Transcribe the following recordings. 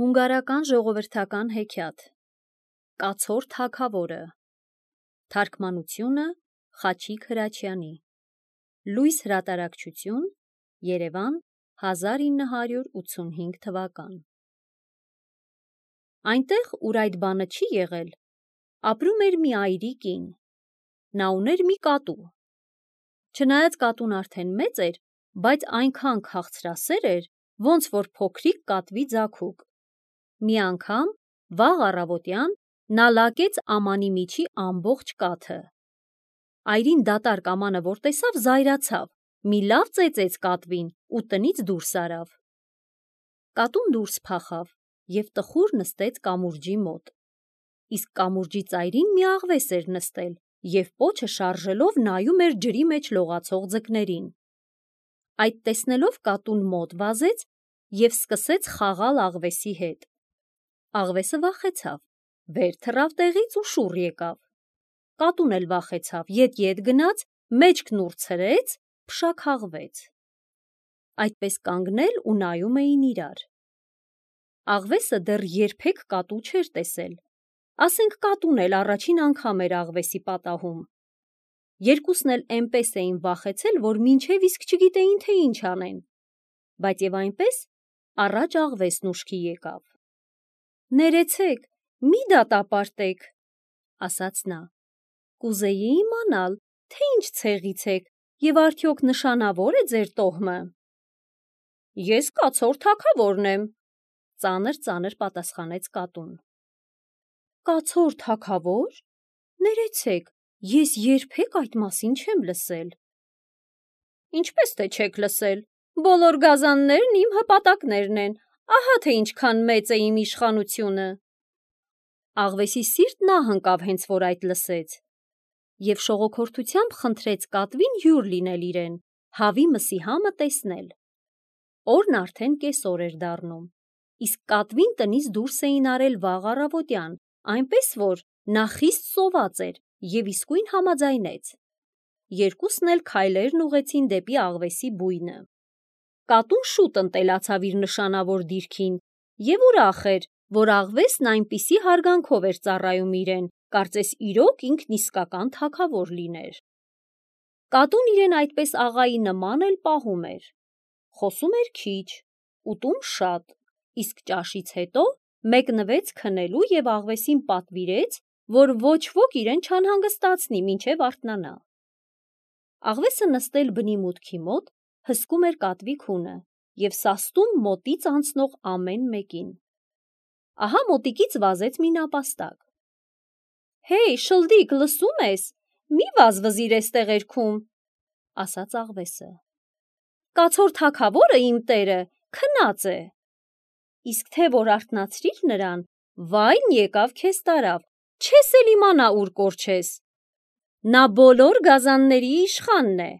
Հունգարական ժողովրդական հեքիաթ Կացոր թագավորը Թարգմանությունը Խաչիկ Հրաչյանի Լույս հրատարակչություն Երևան 1985 թվական Այնտեղ, ուր այդ բանը չի եղել, ապրում էր մի այրի կին, նա ուներ մի կատու, չնայած կատուն արդեն մեծ էր, բայց այնքան քաղցրասեր էր, ոնց որ փոքրիկ կատվի ձագուկ, մի անգամ, վաղ առավոտյան, նա լակեց ամանի միջի ամբողջ կաթը, այրին դատարկ ամանը որ տեսավ զայրացավ, մի լավ ծեծեց կատվին ու տնից դուրս արավ, կատուն դուրս փախավ և տխուր նստեց կամուրջի մոտ, իսկ կամուրջի ծայրին մի աղվես էր նստել և պոչը շարժելով նայում էր ջրի մեջ լողացող ձկներին, այդ տեսնելով կատուն մոտ վազեց և սկսեց խաղալ աղվեսի հետ, աղվեսը վախեցավ, վեր թռավ տեղից ու շուռ եկավ, կատուն էլ վախեցավ, ետ գնաց, մեջքն ուր ցրեց, փշաքաղվեց, այդպես կանգնել ու նայում էին իրար, աղվեսը դեռ երբեք կատու չէր տեսել, ասենք կատուն էլ առաջին անգամ էր աղվեսի պատահում, երկուսն էլ էնպես էին վախեցել, որ մինչև իսկ չգիտեին, թե ինչ անեն, բայց և այնպես առաջ աղվեսն ուշքի եկավ, ներեցեք, մի դատապարտեք, ասաց նա, կուզեի իմանալ, թե ինչ ցեղից եք և արդյոք նշանավոր է ձեր տոհմը, ես կացոր թագավորն եմ, ծանր պատասխանեց կատուն, կացոր թագավո՞ր, ներեցեք, ես երբեք այդ մասին չեմ լսել, ինչպես թե չեք լսել, բոլոր գազաններն իմ հպատակներն են, ահա թե ինչքան մեծ է իմ իշխանությունը, աղվեսի սիրտն ահ ընկավ հենց որ այդ լսեց, և շողոքորթությամբ խնդրեց կատվին հյուր լինել իրեն, հավի մսի համը տեսնել, օրն արդեն կեսօր էր դառնում, իսկ կատվին տնից դուրս էին արել վաղ առավոտյան, այնպես որ նա խիստ սոված էր և իսկույն համաձայնեց, երկուսն էլ քայլերն ուղղեցին դեպի աղվեսի բույնը, կատուն շուտ ընտելացավ իր նշանավոր դիրքին և ուրախ էր, որ աղվեսն այնպիսի հարգանքով էր ծառայում իրեն, կարծես իրոք ինքն իսկական թագավոր լիներ, կատուն իրեն այդպես աղայի նման էլ պահում էր, խոսում էր քիչ, ուտում շատ, իսկ ճաշից հետո մեկնվեց քնելու և աղվեսին պատվիրեց, որ ոչ ոք իրեն չանհանգստացնի, մինչև արթնանա, աղվեսը նստել բնի մուտքի մոտ, հսկում էր կատվի քունը և սաստում մոտից անցնող ամեն մեկին, ահա մոտիկից վազեց մի նապաստակ, հեյ շլդիկ, լսում ես, մի վազվզիր էս տեղերքում, ասաց աղվեսը, կացոր թագավորը իմ տերը քնած է, իսկ թե որ արթնացրիր նրան, վայն եկավ քեզ տարավ, չես էլ իմանա ուր կորչես, նա բոլոր գազանների իշխանն է,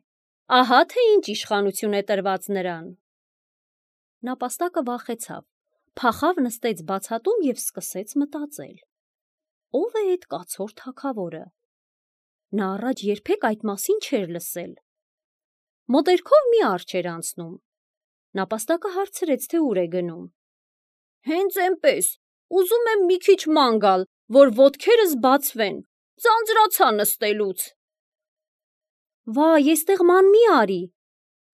ահա թե ինչ իշխանություն է տրված նրան, նապաստակը վախեցավ, փախավ նստեց բացատում և սկսեց մտածել, ով է էդ կացոր թագավորը, նա առաջ երբեք այդ մասին չէր լսել, մոտերքով մի առջ էր անցնում, նապաստակը հարցրեց, թե ուր է գնում, հենց էնպես, ուզում եմ մի քիչ ման գալ, որ ոտքերս բացվեն, ձանձրացա նստելուց, վայ, էստեղ ման մի արի,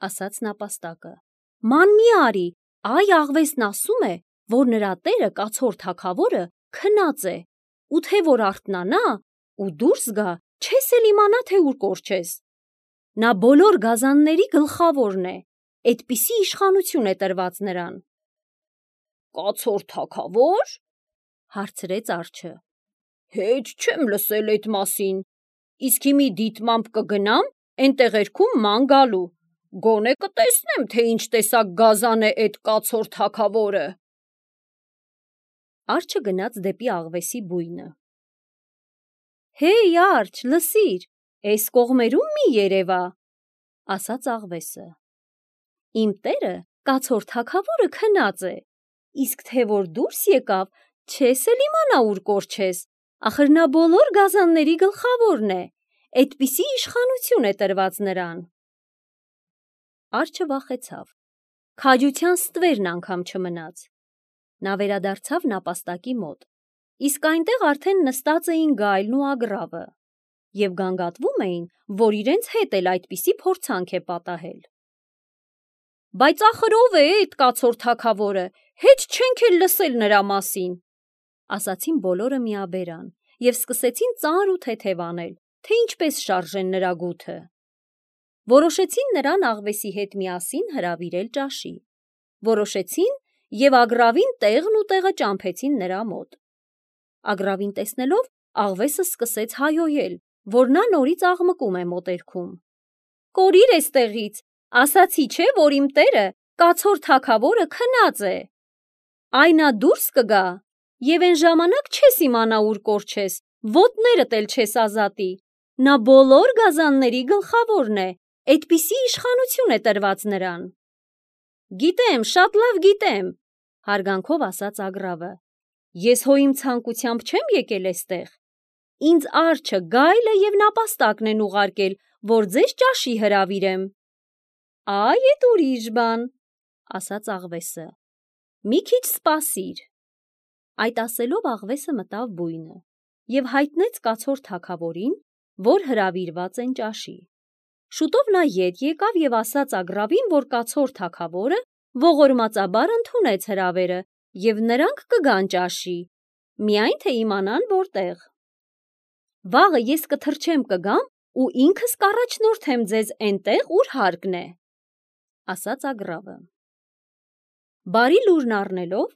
ասաց նապաստակը, ման մի արի, այ աղվեսն ասում է, որ նրա տերը կացոր թագավորը քնած է, ու թե որ արթնանա ու դուրս գա, չես էլ իմանա, թե ուր կորչես, նա բոլոր գազանների գլխավորն է, էդպիսի իշխանություն է տրված նրան, կացոր թագավո՞ր, հարցրեց արջը, հեչ չեմ լսել էդ մասին, իսկ հիմի դիտմամբ կգնամ էն տեղերքում ման գալու, գոնե կտեսնեմ, թե ինչ տեսակ գազան է էդ կացոր թագավորը, արջը գնաց դեպի աղվեսի բույնը, հեյ արջ, լսիր, էս կողմերում մի երևա, ասաց աղվեսը, իմ տերը կացոր թագավորը քնած է, իսկ թե որ դուրս եկավ, չես էլ իմանա ուր կորչես, ախր նա բոլոր գազանների գլխավորն է, էդպիսի իշխանություն է տրված նրան, արջը վախեցավ, քաջության ստվերն անգամ չմնաց, Նա վերադարձավ նապաստակի մոտ, իսկ այնտեղ արդեն նստած էին Գայլն ու Ագրավը և գանգատվում էին, որ իրենց հետ էլ այդպիսի փորձանք է պատահել։ Բայց ախր ով է այդ կացոր թագավորը, հետ չենք էլ լսել նրա մասին, ասացին բոլորը միաբերան և սկսեցին ծանր ու թեթև անել, թե ինչպես շարժեն նրա գութը։ Որոշեցին նրան աղվեսի հետ միասին հրավիրել ճաշի։ Որոշեցին և Ագրավին տեղն ու տեղը ճամփեցին նրա մոտ։ Ագրավին տեսնելով աղվեսը սկսեց հայհոյել, որ նա նորից աղմկում է մոտերքում։ Կորիր էստեղից, ասացի չէ, որ իմ տերը կացոր թագավորը քնած է։ Այ նա դուրս կգա և այն ժամանակ չես իմանա ուր կորչես, ոտներդ էլ չես ազատի։ Նա բոլոր գազանների գլխավորն է, այդպիսի իշխանություն է տրված նրան։ Գիտեմ, շատ լավ գիտեմ, հարգանքով ասաց Ագրավը։ Ես հո իմ ցանկությամբ չեմ եկել էստեղ։ Ինձ արջը, Գայլը և նապաստակն են ուղարկել, որ ձեզ ճաշի հրավիրեմ։ Այ էդ ուրիշ բան, ասաց աղվեսը։ Մի քիչ սպասիր։ Այդ ասելով աղվեսը մտավ բույնը և հայտնեց կացոր թագավորին, որ հրավիրված են ճաշի։ Շուտով նա ետ եկավ և ասաց Ագրավին, որ կացոր թագավորը ողորմածաբար ընդունեց հրավերը և նրանք կգան ճաշի, միայն թե իմանան որտեղ։ Վաղը ես կթռչեմ կգամ ու ինքս կառաջնորդեմ ձեզ էնտեղ, ուր հարկն է, ասաց Ագրավը։ Բարի լուրն առնելով,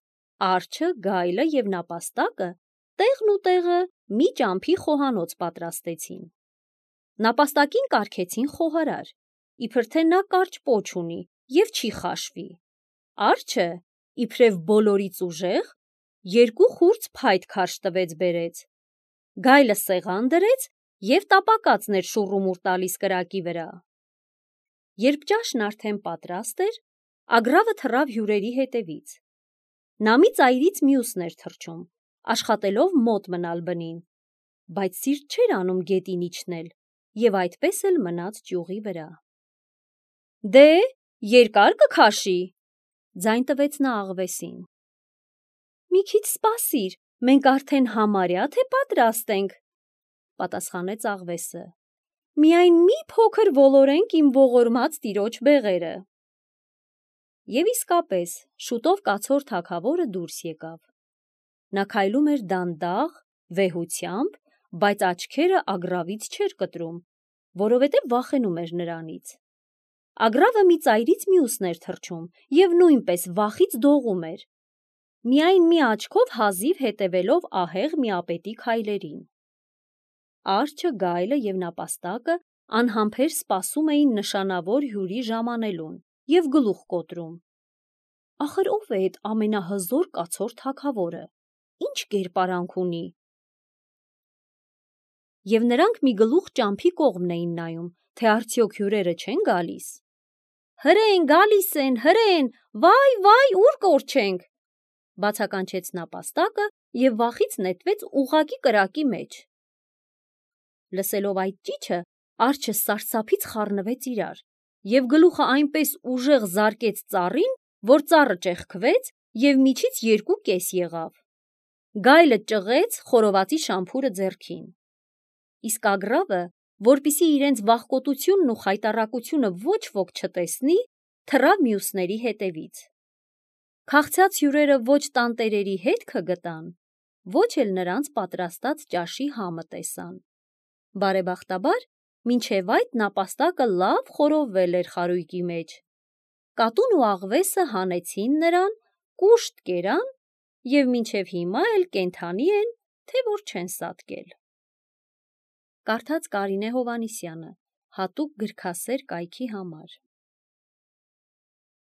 արջը, Գայլը և նապաստակը տեղն ու տեղը մի ճամփի խոհանոց պատրաստեցին։ Նապաստակին կարգեցին խոհարար, իբր թե նա կարճ պոչ ունի և չի խաշվի։ Արջը, իբրև բոլորից ուժեղ, 2 խուրձ փայտ քարշ տվեց բերեց։ Գայլը սեղան դրեց և տապակածն էր շուռումուռ տալիս կրակի վրա։ Երբ ճաշն արդեն պատրաստ էր, Ագրավը թռավ հյուրերի հետևից։ Նա մի ծայրից մյուսն էր թռչում, աշխատելով մոտ մնալ բնին, բայց սիրտ չէր անում գետին իջնել և այդպես էլ մնաց ճյուղի վրա։ Դե, երկա՞ր կքաշի, ձայն տվեց նա աղվեսին։ Մի քիչ սպասիր, մենք արդեն համարյա թե պատրաստ ենք, պատասխանեց աղվեսը։ Միայն մի փոքր ոլորենք իմ ողորմած տիրոջ բեղերը։ Եվ իսկապես, շուտով կացոր թագավորը դուրս եկավ։ Նա քայլում էր դանդաղ, վեհությամբ, բայց աչքերը Ագրավից չէր կտրում, որովհետև վախենում էր նրանից։ Ագրավը մի ծայրից մյուսն էր թռչում և նույնպես վախից դողում էր, միայն մի աչքով հազիվ հետևելով ահեղ միապետի քայլերին։ Արջը, Գայլը և նապաստակը անհամբեր սպասում էին նշանավոր հյուրի ժամանելուն և գլուխ կոտրում։ Ախր ով է այդ ամենահզոր կացոր թագավորը, ինչ կերպարանք ունի։ Եվ նրանք մի գլուխ ճամփի կողմն էին նայում, թե արդյոք հյուրերը չեն գալիս։ Հրեն, գալիս են, հրեն, վայ, ուր կորչենք, բացականչեց նապաստակը և վախից նետվեց ուղղակի կրակի մեջ։ Լսելով այդ ճիչը, արջը սարսափից խառնվեց իրար և գլուխը այնպես ուժեղ զարկեց ծառին, որ ծառը ճեղքվեց և միջից 2 կես եղավ։ Գայլը ճղեց խորովածի շամփուրը ձեռքին։ Իսկ Ագրավը, որպեսզի իրենց վախկոտությունն ու խայտառակությունը ոչ ոք չտեսնի, թռավ մյուսների հետևից։ Քաղցած հյուրերը ոչ տանտերերի հետքը գտան, ոչ էլ նրանց պատրաստած ճաշի համը տեսան։ Բարեբախտաբար, մինչև այդ նապաստակը լավ խորովվել էր խարույկի մեջ։ Կատուն ու աղվեսը հանեցին նրան, կուշտ կերան և մինչև հիմա էլ կենդանի են, թե որ չեն սատկել։ Կարդաց Կարինե Հովհաննիսյանը, հատուկ գրքասեր կայքի համար։